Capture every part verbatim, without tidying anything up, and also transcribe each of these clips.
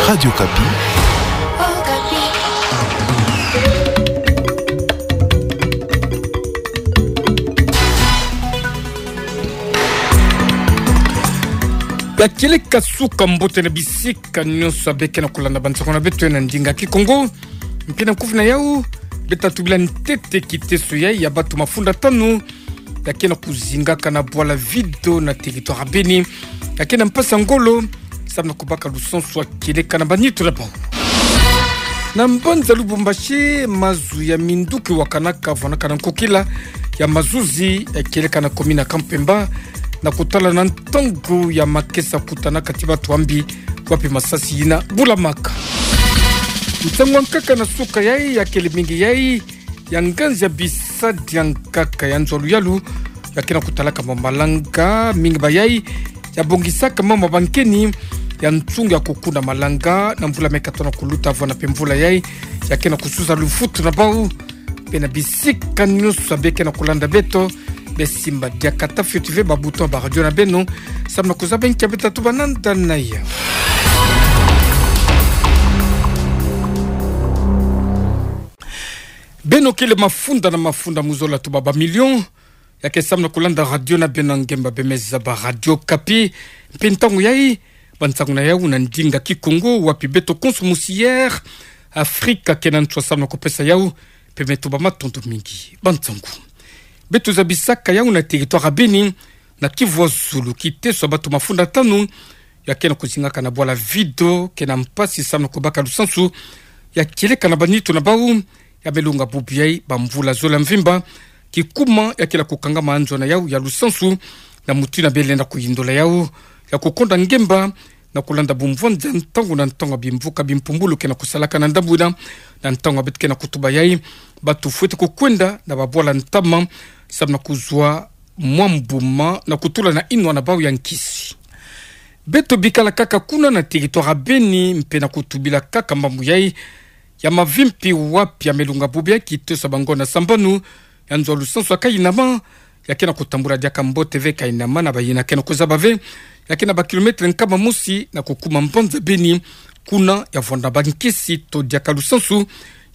Radio Okapi. Ya kieleka suka mbote na bisika nyonso ya beke na kolanda bansango na beto na ndinga Kikongo. Mpe na kuvina yau, beta tubila ntete kiteso yai ya bantu mafunda tanu ya ke na kuzingaka na bwala Vido na territoire ya Beni, ya ke na mpasi ya ngolo, samu na kubaka lusansu ya kieleka na banitu na bau. Na mbanza Lubumbashi, mazu ya minduki wakanaka, vwanaka na nkokila ya mazuzi ya kieleka na commune ya Kampemba, na kutala na ntangu ya makesa kutanaka ti bantu ya mbi, wapi masasi yina bulamaka. Nsangu ya nkaka na suka yai ya kele mingi yai ya nganzi ya bisadi ya nkaka ya nzo ya luyalu, ya ke na kutalaka ma malanga, mingi ba yai ya bongisaka mama bankeni ya nsunga ya kukuna malanga na mvula me katono kuluta, vwana mpe mvula yai ya ke na kusuza luvutu na bau. Mpe na bisika nyonso ya beke na kolanda beto, besimba diaka ta fioti ve ba bouton ya ba radio na beno, samu na kuzaba nki ya beta tuba na nda na yau. Beno kele mafunda na mafunda mu zola tuba ba million, ya ke samu na kolanda radio na beno ya ngemba bemeza ba Radio Okapi. Mpe ntangu yai, bansangu na yau na ndinga Kikongo, wapi beto konso musi Air Afrika ke na nswa samu na kupesa yau, mpe me tuba matondo mingi. Bansangu, beto zabisaka yau na territoire ya Beni, na Kivu ya Zulu, kiteso ya bantu mafunda tanu ya ke na kuzingaka na bwala Vido ke na mpasi samu na kubaka lusansu ya kieleka na banitu na bau, ya me lunga bubu yai ba mvula zole ya mvimba. Kikuma ya ke na kukangama nzo na yau ya lusansu, na mutu yina bele na kuyindola yau ya kukonda ngemba, na kulanda bumvwanza ntangu na ntangu ya bimvuka bimpumbulu ke na kusalaka na ndambu yina, na ntangu ya beto ke na kutuba yai, bantu fwete kukwenda na babwala ntama, samu na kuzwa mwa mbuma na kutula na inwa na bau ya nkisi. Beto bikala kaka kuna na territoire ya Beni, mpe na kutubila kaka mambu yai ya mavimpi, wapi ya me lunga bubu yai kiteso ya bangonda sambanu ya nzo ya lusansu ya Kainama, ya ke na kutambula diaka mbote ve Kainama na bayina ke na kuzaba ve, ya ke na ba kilomètre nkama mosi na kukuma mbanza Beni, kuna ya vwanda bankisi to diaka lusansu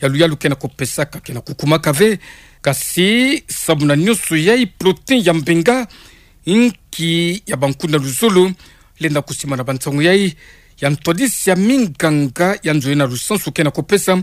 ya luyalu ke na kupesaka ke na kukumaka ve. Kasi samu na nyonso yai, protéine ya mbenga, inki ya bankuna luzolo, lenda kusima na bansangu yai ya ntwadisi ya minganga ya nzo yina lusansu ke na kupesa.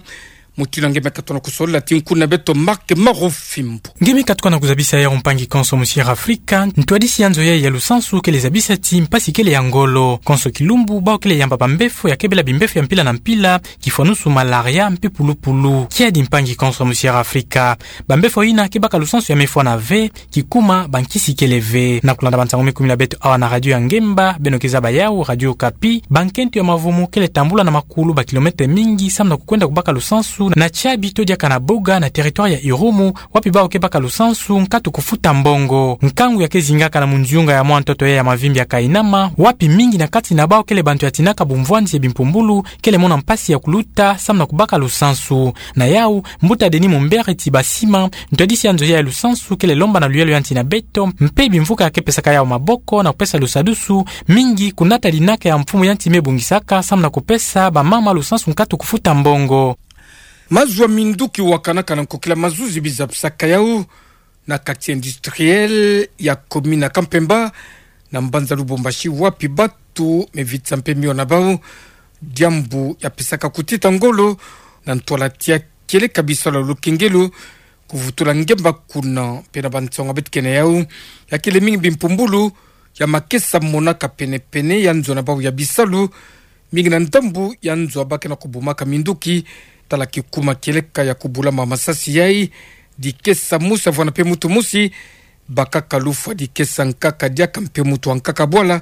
Mutu yina nge me katono kusolola ti nkuna beto Marc Marofimbo. Nge me katuka na kuzabisa yau, mpangi konso musi Air Afrika. Ntwadisi ya nzo yai ya lusansu kele zabisa ti mpasi kele ya ngolo. Konso kilumbu, bau kele yamba bambefo ya kebela bimbefo ya mpila na mpila, kifwanusu malaria mpe pulupulu. Kiadi, mpangi konso musi Air Afrika. Bambefo yina ke baka lusansu ya mefwana ve, kikuma bankisi kele ve. Na kulanda bansangu me kumina beto awa na radio ya ngemba beno ke zaba yau, Radio Okapi, bankento ya mavumu kele tambula na makulu ba kilomètre mingi samu na kukwenda kubaka lusansu na Tiabi to diaka na Boga na territoire ya Irumu, wapi bau ke baka lusansu nkatu kufuta mbongo. Nkangu ya ke zingaka na munzunga ya mwa ntoto yai ya mavimpi ya Kainama, wapi mingi na kati na bau kele bantu ya tinaka bumvwanzi ya bimpumbulu, kele mona mpasi ya kuluta samu na kubaka lusansu. Na yau, mbuta Denis Mumbere Tibasima, ntwadisi ya nzo yai ya lusansu, kele lomba na luyalu ya nti na beto mpe bimvuka ya ke pesaka yau maboko na kupesa lusadusu, mingi kunata linaka ya mfumu ya nti me bongisaka samu na kupesa bamama lusansu nkatu kufuta mbongo. Mazu ya minduki wakanaka na nkokila mazuzi bizabisaka yau na quartier industriel ya commune ya Kampemba, na mbanza Lubumbashi, wapi bantu me vitisa mpe mio na bau diambu ya pesaka kutita ngolo na ntwala tia kieleka bisalu ya lukengelo, kuvutula ngemba kuna. Mpe na bansangu ya beto ke na yau, ya kele mingi bimpumbulu ya makesa monaka penepene ya nzo na bau ya bisalu, mingi na ndambu ya nzo ya ba ke na kubumaka minduki, tala kikuma kieleka ya kubulama masasi yai. Dikesa mosi ya vwana mpe mutu mosi, bakaka lufwa dikesa nkaka diaka mpe mutu wa nkaka bwala,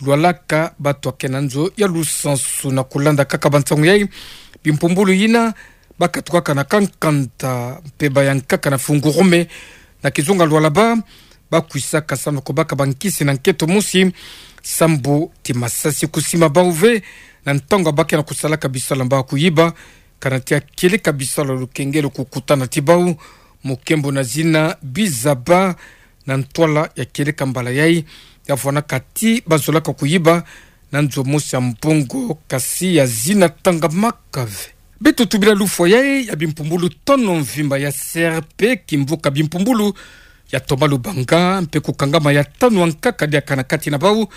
lwalaka bantu ya ke na nzo ya lusansu. Na kulanda kaka bansangu yai, bimpumbulu yina bakatukaka na Kankanda mpe ba yankaka na Fungurume, na kizunga lwalaba, bakwisaka samu na kubaka bankisi na nkento mosi, sambu ti masasi kusima bau ve na ntangu ya ba ke na kusalaka bisalu ya mbawu kuyiba, kana tia kieleka bisalu ya lukengelo kukutana ti bau, mukembo na zina bizaba na ntwala ya kieleka mbala yai, ya vwanaka ti bazolaka kuyiba na nzo mosi ya mbongo, kasi ya zina tangamaka ve. Beto tubila lufwa yai ya bimpumbulu tano mvimba ya C R P, kimvuka bimpumbulu ya Thomas Lubanga, mpe kukangama ya tanu ankaka diaka na kati na bau,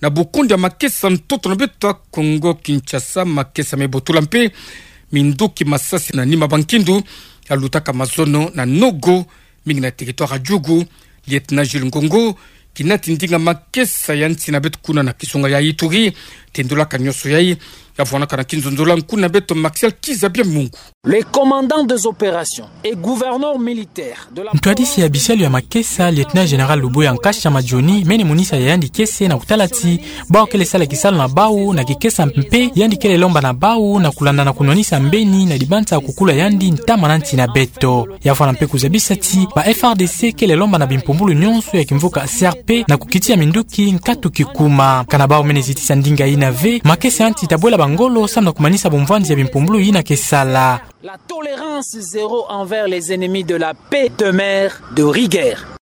na bukundi ya makesa ntoto na beto ya Kongo Kinshasa, makesa mebotula mpe minduki masasi na nima bankindu, yalutaka mazono na nogo, mingi na territoire ya Djugu. Lieutenant Jules Ngongo, kinati ndinga makesa ya nsi na beto kuna na kizunga ya Ituri, tendulaka nyonso yai, ya vwanaka na kinzonzolo ya nkuna beto Martial Kiza Bia Mungu. Le commandant des opérations et gouverneur militaire de la Ntwadisi ya bisalu ya makesa, Lieutenant Général Luboya Nkasha Madjoni, mene monisa ya yandi kiese na kutala ti bau kele sala kisalu na bau na kikesa, mpe yandi kele lomba na bau na kulanda na kunwanisa mbeni na dibanza kukula yandi ntama na nsi na beto. Ya vwana mpe kuzabisa ti ba F A R D C kele lomba na bimpumbulu nyonso ya kimvuka C R P na kukitia minduki nkatu kikuma. Kana bau mene zitisa ndinga yina ve, makesa ya nsi tabwela bangolo samu na kumanisa bumvanzi ya bimpumbulu yina ke sala. La tolérance zéro envers les ennemis de la paix demeure de rigueur.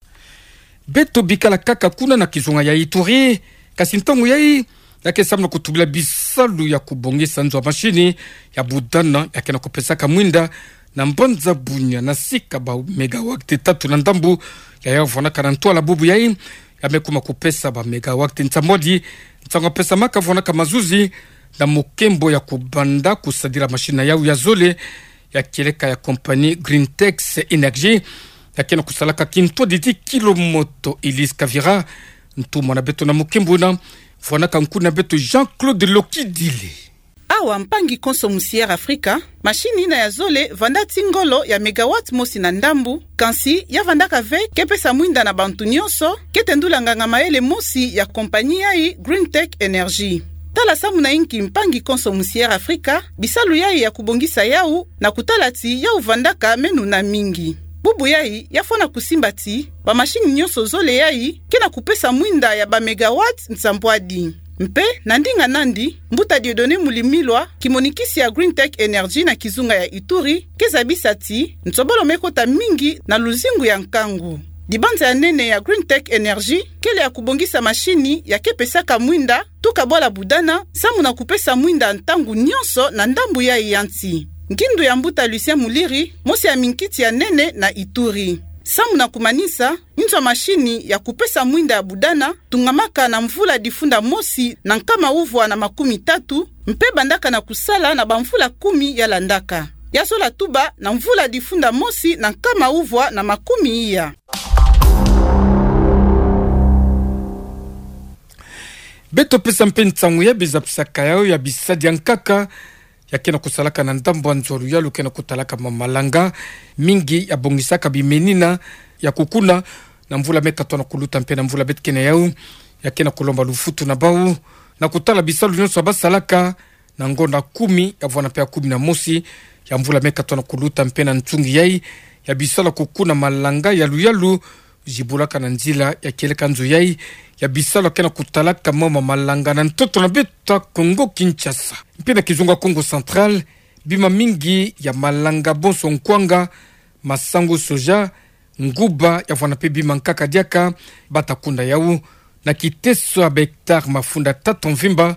Beto bikala kaka kuna na kizunga ya Ituri, kasi ntangu yai, ya ke samu na kutubila bisalu ya kubongisa nzo ya mashini ya budana ya ke na kupesaka mwinda na mbanza Bunia na sika ba mégawatt tatu na ndambu, ya ya vwanaka na ntwala bubu yai, ya me kuma kupesa ba mégawatt nsambwadi. Nsangu ya pesamaka vwanaka mazuzi na mukembo ya kubanda kusadila mashini na yau ya zole, ya kieleka ya compagnie Greentex Energy, ya ke na kusalaka kintwadidi kilo moto. Elise Kavira, ntumwa na beto na mukembo wuna, vwanaka nkuna beto Jean-Claude Lokidile. Awa mpangi konso musi Air Africa, mashini yina ya zole vanda ti ngolo ya mégawatt mosi na ndambu, kansi ya vandaka ve ke pesa mwinda na bantu nyonso, ke tendula nganga mayele mosi ya compagnie yai Greentex Energy. Tala samu na inki mpangi konso musi Air Africa, bisalu yai ya kubongisa yau na kutala ti yau vandaka meno na mingi. Bubu yai ya fwana kusimba ti ba mashini nyonso zole yai ke na kupesa mwinda ya ba mégawatt nsambwadi. Mpe, na ndinga nandi, mbuta Dieudonné Mulimilwa, kimonikisi ya Greentex Energy na kizunga ya Ituri, ke zabisa ti nsobolo me kota mingi na luzingu ya nkangu. Dibanza ya nene ya Greentex Energy kele ya kubongisa mashini ya ke pesaka mwinda, tuka bwala budana, samu na kupesa mwinda ntangu nyonso na ndambu yai ya nsi. Nkindu ya mbuta Lucien Muliri, mosi ya minkiti ya nene na Ituri. Samu na kumanisa, inzo ya mashini ya kupesa mwinda ya budana tungamaka na mvula difunda mosi na nkama uvwa na makumi tatu, mpe bandaka na kusala na bamvula kumi ya landaka. Ya zola tuba na mvula difunda mosi na nkama uvwa na makumi iya. Beto pesa mpe nsangu ya bizapisaka yau ya bisadi ya nkaka, ya ke na kusalaka na ndambu ya nzo ya luyalu ke na kutalaka ma malanga, mingi ya bongisaka bimenina ya kukuna na mvula me katono kuluta mpe na mvula beto ke na yau, ya ke na kulomba lufutu na bau, na kutala bisalu nyonso ya basalaka, na ngonda kumi, ya vwana mpe ya kumi na mosi ya mvula me katono kuluta mpe na nsungi yai, ya bisalu ya kukuna malanga ya luyalu, zibulaka na nzila ya kieleka nzo yai, ya bisalu ya ke na kutalaka mama malanga na ntoto na beto ya Kongo Kinshasa. Mpe na kizunga Kongo Central, bima mingi ya malanga bonso nkwanga, masangu soja, nguba, ya vwana mpe bima nkaka diaka, bata kunda yau, na kiteso ya ba hectare mafunda tatu mvimba,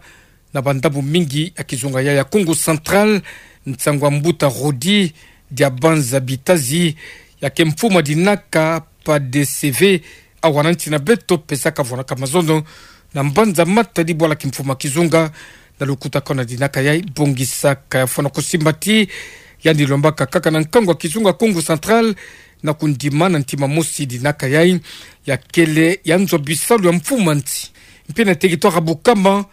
na bandambu mingi ya kizunga yai ya Kongo Central. Nsangu ya mbuta Rodi Diabanza Bitazi, ya ke mfuma dinaka P A D C V, awa na nsi na beto pesaka vwanaka mazono na mbanza Matadi bwala kimfuma kizunga, na lukutakanu ya dinaka yai bongisaka. Ya fwana kusimba ti yandi lombaka kaka na nkangu ya kizunga Kongo Central, na kundima na ntima mosi dinaka yai ya kele ya nzo bisalu ya mfuma nsi. Mpe na territoire ya Bukama,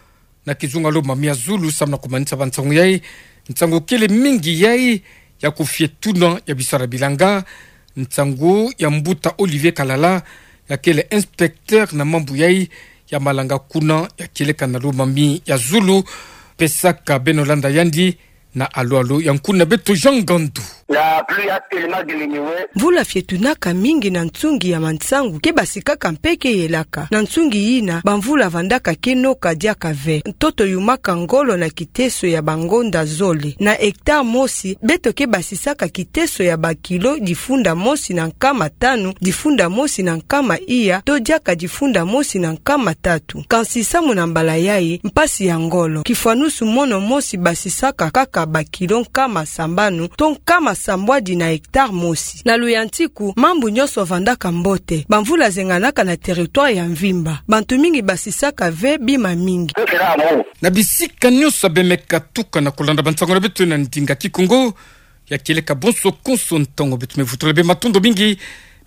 na kizunga Lomami ya zulu, samu na kumanisa bansangu yai, nsangu kele mingi yai ya kufie tuna ya bisalu ya bilanga, nsangu ya mbuta Olivier Kalala, ya kele inspecteur na mambu yai ya malanga kuna ya kieleka na Lomami ya zulu, pesaka beno landa yandi na alo alo ya nkuna beto Jean Ngandu. La pluie a tellement diminué. Mvula fietunaka mingi na nsungi ya mansangu, ke basikaka mpe ke yelaka. Na nsungi yina, bamvula vandaka ke noka diaka ve. Ntoto yumaka ngolo na kiteso ya bangonda zole. Na hectare mosi, beto ke basisaka kiteso ya bakilo difunda mosi na nkama tanu, difunda mosi na nkama iya, to diaka difunda mosi na nkama tatu. Kansi samu na mbala yayi, mpasi ya ngolo, kifwanusu mono mosi basisaka kaka bakilo nkama sambanu, to nkama sambwadi na hectare mosi. Na luyantiku, mambu nyonso vandaka mbote. Bamvula zenganaka na territoire ya mvimba. Bantu mingi basisaka ve bima mingi. Na bisika nyonso bemeka tuka na kulanda bansangu na beto na ndinga Kikongo, ya kieleka bonso konso ntangu beto me vutula bê matondo mingi,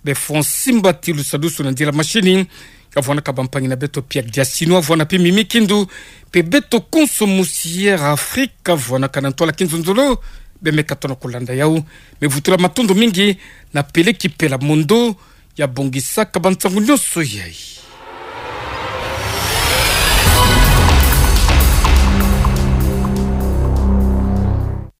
bê Francis Mbati Lusadusu na ndila mashini, ka vwanaka bampangi na beto Pierre Diasino, vwana mpe Mimi Kindu, mpe beto konso musi Air Afrique, vwanaka na ntwala kinzonzolo, bemeka tona kulanda yau, me vutula matondo mingi, na pele ki pela mondo, ya bongisaka bansangu nyonso yayi.